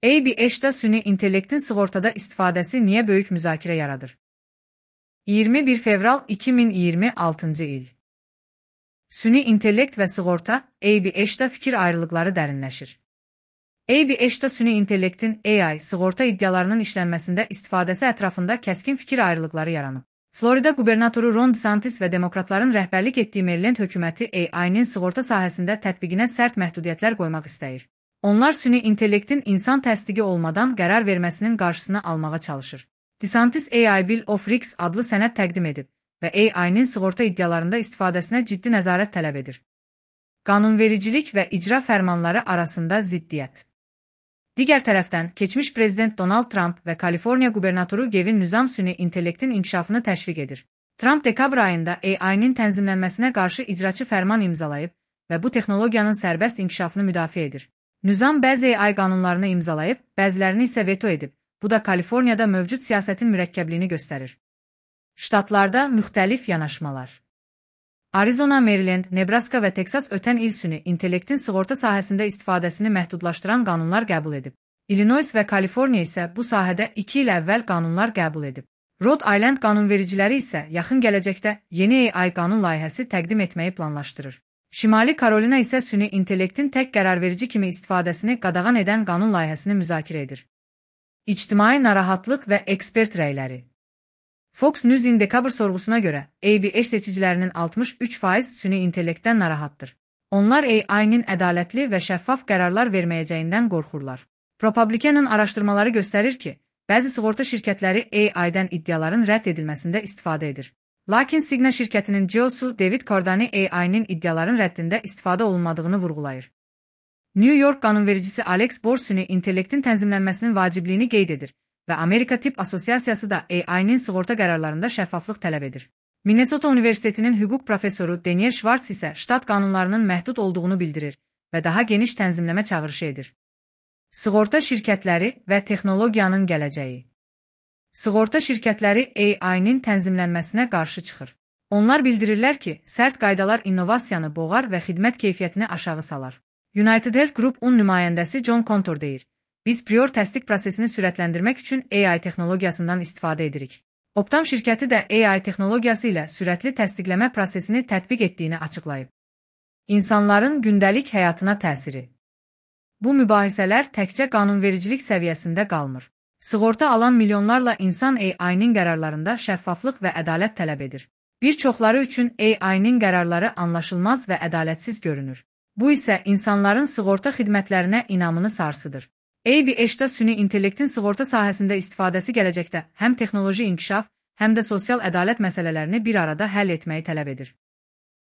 ABH-da süni intellektin sığortada istifadəsi niyə böyük müzakirə yaradır? 21 fevral 2026 il. Süni intellekt və sığorta, ABH-da fikir ayrılıqları dərinləşir. ABH-da süni intellektin AI sığorta iddialarının işlənməsində istifadəsi ətrafında kəskin fikir ayrılıqları yaranıb. Florida qubernatoru Ron DeSantis və demokratların rəhbərlik etdiyi Maryland hökuməti AI-nin sığorta sahəsində tətbiqinə sərt məhdudiyyətlər qoymaq istəyir. Onlar süni intellektin insan təsdiqi olmadan qərar verməsinin qarşısını almağa çalışır. DeSantis AI Bill of Rights adlı sənəd təqdim edib və AI-nin sığorta iddialarında istifadəsinə ciddi nəzarət tələb edir. Qanunvericilik və icra fərmanları arasında ziddiyyət. Digər tərəfdən, keçmiş prezident Donald Trump və Kaliforniya qubernatoru Gavin Newsom süni intellektin inkişafını təşviq edir. Trump dekabr ayında AI-nin tənzimlənməsinə qarşı icraçı fərman imzalayıb və bu texnologiyanın sərbəst inkişafını müdafiə edir. Newsom bəzi AI qanunlarını imzalayıb, bəzilərini isə veto edib. Bu da Kaliforniyada mövcud siyasətin mürəkkəbliyini göstərir. Ştatlarda müxtəlif yanaşmalar. Arizona, Maryland, Nebraska və Texas ötən il süni intellektin sığorta sahəsində istifadəsini məhdudlaşdıran qanunlar qəbul edib. Illinois və Kaliforniya isə bu sahədə 2 il əvvəl qanunlar qəbul edib. Rhode Island qanunvericiləri isə yaxın gələcəkdə yeni AI qanun layihəsi təqdim etməyi planlaşdırır. Şimali Karolina isə süni intellektin tək qərarverici kimi istifadəsini qadağan edən qanun layihəsini müzakirə edir. İctimai narahatlıq və ekspert rəyləri. Fox News'in dekabr sorğusuna görə, ABH seçicilərinin 63% süni intellektdən narahatdır. Onlar AI-nin ədalətli və şəffaf qərarlar verməyəcəyindən qorxurlar. ProPublican'ın araşdırmaları göstərir ki, bəzi sığorta şirkətləri AI-dən iddiaların rədd edilməsində istifadə edir. Lakin Cigna şirkətinin CEO-su David Cordani AI-nin iddiaların rəddində istifadə olunmadığını vurğulayır. New York qanunvericisi Alex Bor süni intellektin tənzimlənməsinin vacibliyini qeyd edir və Amerika Tibb Assosiasiyası da AI-nin sığorta qərarlarında şəffaflıq tələb edir. Minnesota Universitetinin hüquq professoru Daniel Schwartz isə ştat qanunlarının məhdud olduğunu bildirir və daha geniş tənzimləmə çağırışı edir. Sığorta şirkətləri və texnologiyanın gələcəyi. Sığorta şirkətləri AI-nin tənzimlənməsinə qarşı çıxır. Onlar bildirirlər ki, sərt qaydalar innovasiyanı boğar və xidmət keyfiyyətini aşağı salar. United Health Group-un nümayəndəsi John Contor deyir, biz prior təsdiq prosesini sürətləndirmək üçün AI texnologiyasından istifadə edirik. Optum şirkəti də AI texnologiyası ilə sürətli təsdiqləmə prosesini tətbiq etdiyini açıqlayıb. İnsanların gündəlik həyatına təsiri. Bu mübahisələr təkcə qanunvericilik səviyyəsində qalmır. Sığorta alan milyonlarla insan AI-nin qərarlarında şəffaflıq və ədalət tələb edir. Bir çoxları üçün AI-nin qərarları anlaşılmaz və ədalətsiz görünür. Bu isə insanların sığorta xidmətlərinə inamını sarsıdır. ABH-da süni intellektin sığorta sahəsində istifadəsi gələcəkdə həm texnoloji inkişaf, həm də sosial ədalət məsələlərini bir arada həll etməyi tələb edir.